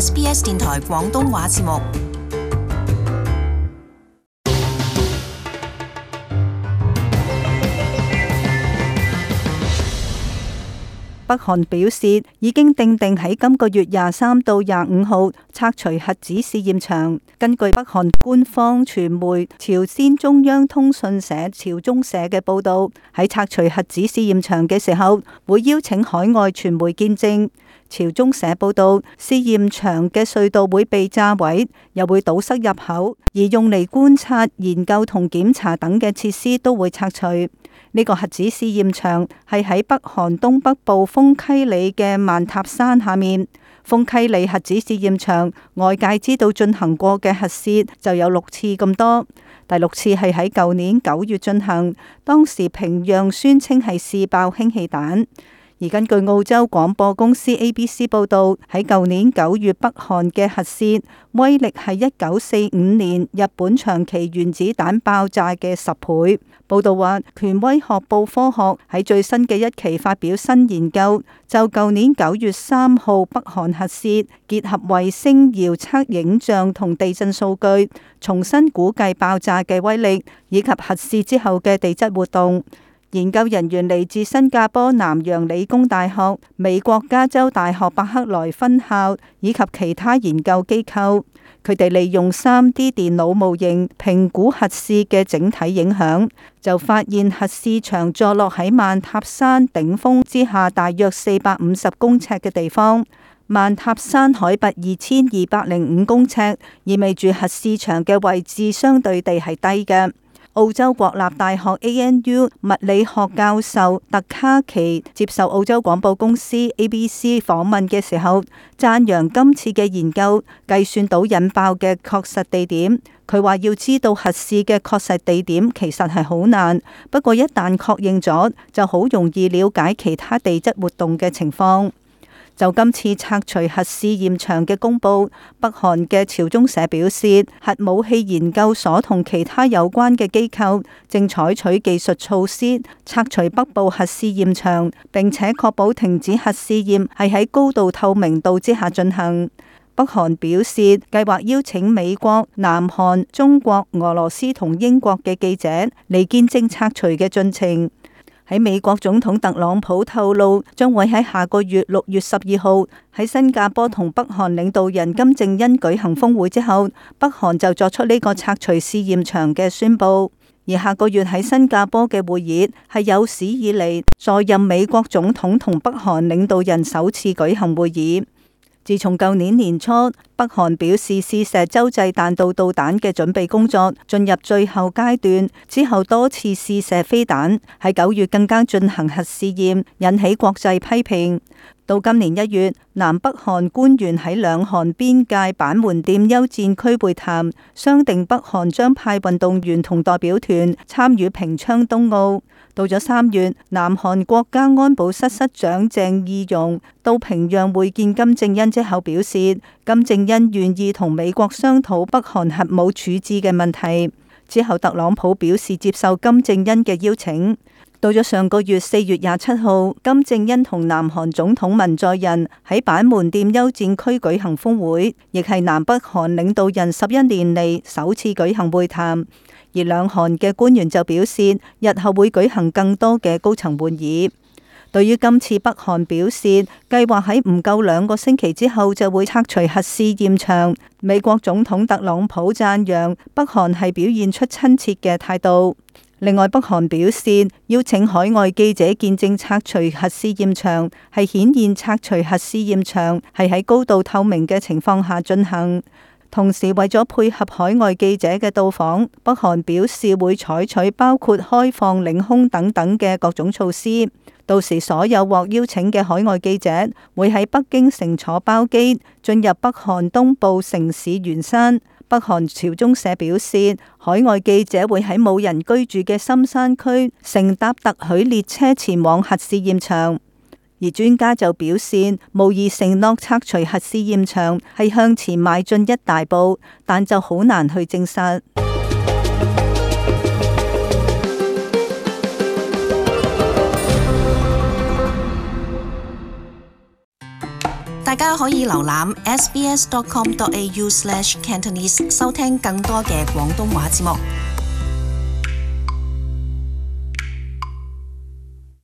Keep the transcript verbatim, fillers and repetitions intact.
S B S 電台廣東話節目。北韓表示已經訂定喺今個月廿三到廿五號拆除核子試驗場。根據北韓官方傳媒朝鮮中央通訊社朝中社嘅報導，喺拆除核子試驗場嘅時候，會邀請海外傳媒見證。朝中社報導，試驗場嘅隧道會被炸毀，又會堵塞入口，而用嚟觀察、研究同檢查等嘅設施都會拆除。呢個核子試驗場係喺北韓東北部豐溪里嘅曼塔山下面。豐溪里核子試驗場外界知道進行過嘅核試就有六次咁多，第六次係喺舊年九月進行，當時平壤宣稱係試爆氫氣彈。而根據澳洲廣播公司 A B C 報導，喺舊年九月北韓嘅核試威力係一九四五年日本長崎原子彈爆炸嘅十倍。報導話，權威學報科學喺最新嘅一期發表新研究，就舊年九月三號北韓核試結合衛星遙測影像同地震數據，重新估計爆炸嘅威力以及核試之後嘅地質活動。研究人員嚟自新加坡南洋理工大學、美國加州大學伯克萊分校以及其他研究機構。佢哋利用 三 D 電腦模型評估核試嘅整體影響，就發現核試場坐落喺曼塔山頂峰之下大約四百五十公尺嘅地方。曼塔山海拔二千二百零五公尺，意味住核試場嘅位置相對地係低嘅。澳洲國立大學 A N U 物理學教授特卡奇接受澳洲廣播公司 A B C 訪問嘅時候，讚揚今次嘅研究計算到引爆嘅確實地點。佢話要知道核試嘅確實地點其實係好難，不過一旦確認咗，就好容易了解其他地質活動嘅情況。就今次拆除核試驗場嘅公佈，北韓嘅朝中社表示，核武器研究所同其他有關嘅機構正採取技術措施拆除北部核試驗場，並且確保停止核試驗係喺高度透明度之下進行。北韓表示計劃邀請美國、南韓、中國、俄羅斯同英國嘅記者嚟見證拆除嘅進程。喺美國總統特朗普透露，將會喺下個月六月十二號喺新加坡同北韓領導人金正恩舉行峰會之後，北韓就作出呢個拆除試驗場嘅宣佈。而下個月喺新加坡嘅會議係有史以嚟在任美國總統同北韓領導人首次舉行會議。自從舊年年初，北韓表示試射洲際彈道導彈嘅準備工作進入最後階段，之後多次試射飛彈，喺九月更加進行核試驗，引起國際批評。到今年一月，南北韓官員喺兩韓邊界板門店休戰區會談，商定北韓將派運動員同代表團參與平昌冬奧。到咗三月，南韓國家安保室室長鄭義溶到平壤會見金正恩之後表示，金正恩願意同美國商討北韓核武處置嘅問題。之後，特朗普表示接受金正恩嘅邀請。到咗上個月四月廿七號，金正恩同南韓總統文在寅喺板門店休戰區舉行峰會，亦係南北韓領導人十一年嚟首次舉行會談。而兩韓嘅官員就表示，日後會舉行更多嘅高層會議。對於今次北韓表示計劃喺唔夠兩個星期之後就會拆除核試驗場，美國總統特朗普讚揚北韓係表現出親切嘅態度。另外，北韓表示邀請海外記者見證拆除核試驗場，係顯現拆除核試驗場係喺高度透明嘅情況下進行。同時，為咗配合海外記者嘅到訪，北韓表示會採取包括開放領空等等嘅各種措施。到時，所有獲邀請嘅海外記者會喺北京乘坐包機進入北韓東部城市元山。北韓朝中社表示，海外記者會喺冇人居住嘅深山區乘搭特許列車前往核試驗場。而專家就表示，無疑承諾拆除核試驗場係向前邁進一大步，但就好難去證實。大家可以瀏覽 s b s dot com dot a u slash cantonese 收聽更多嘅廣東話節目。